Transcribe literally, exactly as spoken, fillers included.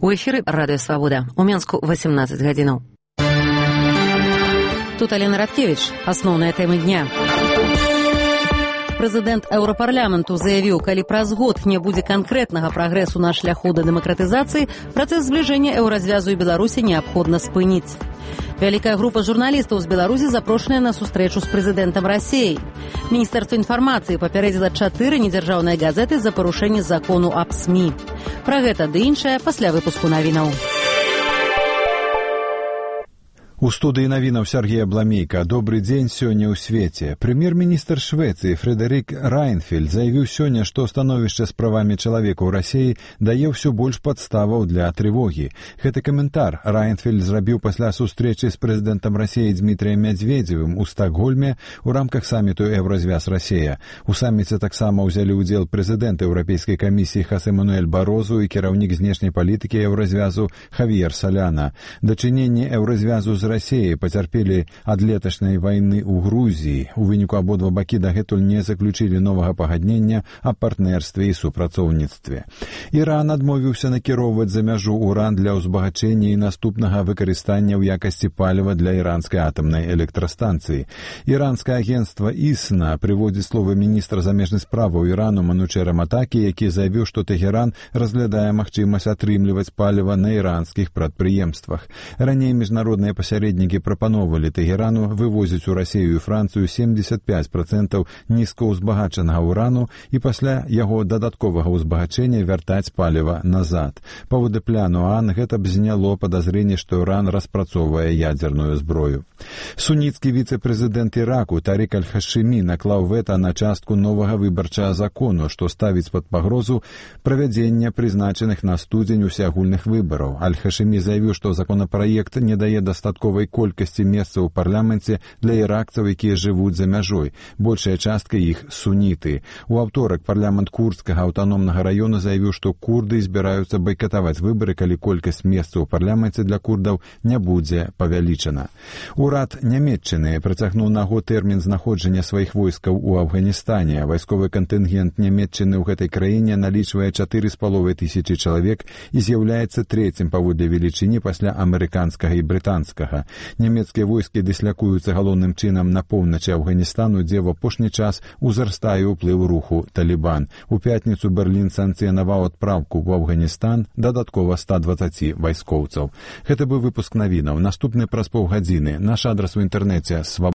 У эфіры радыё Свабода. У Менску восемнадцать гадзінаў. Тут Алена Радкевіч. Асноўныя тэмы дня. Прэзідэнт Еўрапарламенту заявіў, калі праз год не будзе канкрэтнага прагрэсу на шляху да дэмакратызацыі, працэс збліжэння еўразвязу і Беларусі неабходна спыніць. Вялікая група журналістаў з Беларусі запрошаная на сустрэчу з прэзідэнтам Расіі. Міністэрства інфармацыі папярэдзіла чатыры недзяржаўныя газеты за парушэнне закону аб СМІ. Пра гэта ды іншае пасля выпуску навінаў. У студыі навінаў Сергея Бламейка. Добры дзень сёння ў свеце. Прэм'ер-міністр Швецыі Фрэдэрик Райнфельд заявіў сёння, што становішча з правамі чалавека ў Расіі дае ўсё больш падставаў для трывогі. Гэты каментар Райнфельд зрабіў пасля сустрэчы з прэзідэнтам Расіі Дмітрыем Мядзведзевым у Стакгольме ў рамках саміту Еўразвяз Расія. У саміце таксама ўзялі ўдзел прэзідэнт Еўрапейскай камісіі Хосе Мануэль Барозу і кіраўнік знешняй палітыкі Еўразвязу Хавьер Соляна. Дачыненні Еўразвязу з Расіі пацярпелі ад леташняй вайны ў Грузіі. У выніку абодва бакі дагэтуль не заключылі новага пагаднення аб партнерстве і супрацоўніцтве. Іран адмовіўся накіроўваць за мяжу уран для ўзбагачэння і наступнага выкарыстання ў якасці паліва для іранскай атамнай электрастанцыі. Іранскае агенцтва ІСНА прыводзіць словы міністра замежных справаў Ірану Манучэра Матакі, які заявіў, што Тэгеран разглядае магчымасць атрымліваць паліва на іранскіх прадпрыемствах. Раней міжнародныя пасярэднікі Пасярэднікі прапаноўвалі Тэгерану вывозіць у Расію і Францыю семдзесят пяць процентаў нізкаўзбагачанага ўрану і пасля яго дадатковага ўзбагачэння вяртаць паліва назад. Паводле пляну ААН гэта б зняло падазрэнне, што Іран распрацоўвае ядзерную зброю. Суніцкі віцэ-прэзідэнт Іраку Тарік Аль-Хашымі наклаў вэта на частку новага выбарчага закону, што ставіць пад пагрозу правядзення прызначаных на студзень усеагульных выбараў. Аль-Хашымі заявіў, што законапраект не дае дастатковай колькасці месцаў у парламенце для іракцаў, якія жывуць за мяжой. Большая частка іх суніты. У аўторак парламент курдскага аўтаномнага раёна заявіў, што курды збіраюцца байкатаваць выбары, калі колькасць месцаў у парламенце для курдаў не будзе павялічана. Урад Нямецчыны працягнуў на год тэрмін знаходжання сваіх войскаў у Афганістане. Вайсковы кантынгент Нямецчыны ў гэтай краіне налічвае чатыры з паловай тысячы чалавек і з'яўляецца трэцім паводле велічыні пасля амерыканскага і брытанскага. Нямецкія войскі дыслякуюцца галоўным чынам на поўначы Афганістану, дзе ў апошні час узрастае ўплыў руху Талібан. У пятніцу Берлін санкцыянаваў адпраўку ў Афганістан дадаткова ста дваццаці вайскоўцаў. Гэта быў выпуск навінаў. Наступны праз паўгадзіны. Наш адрас у інтэрнэце свабода.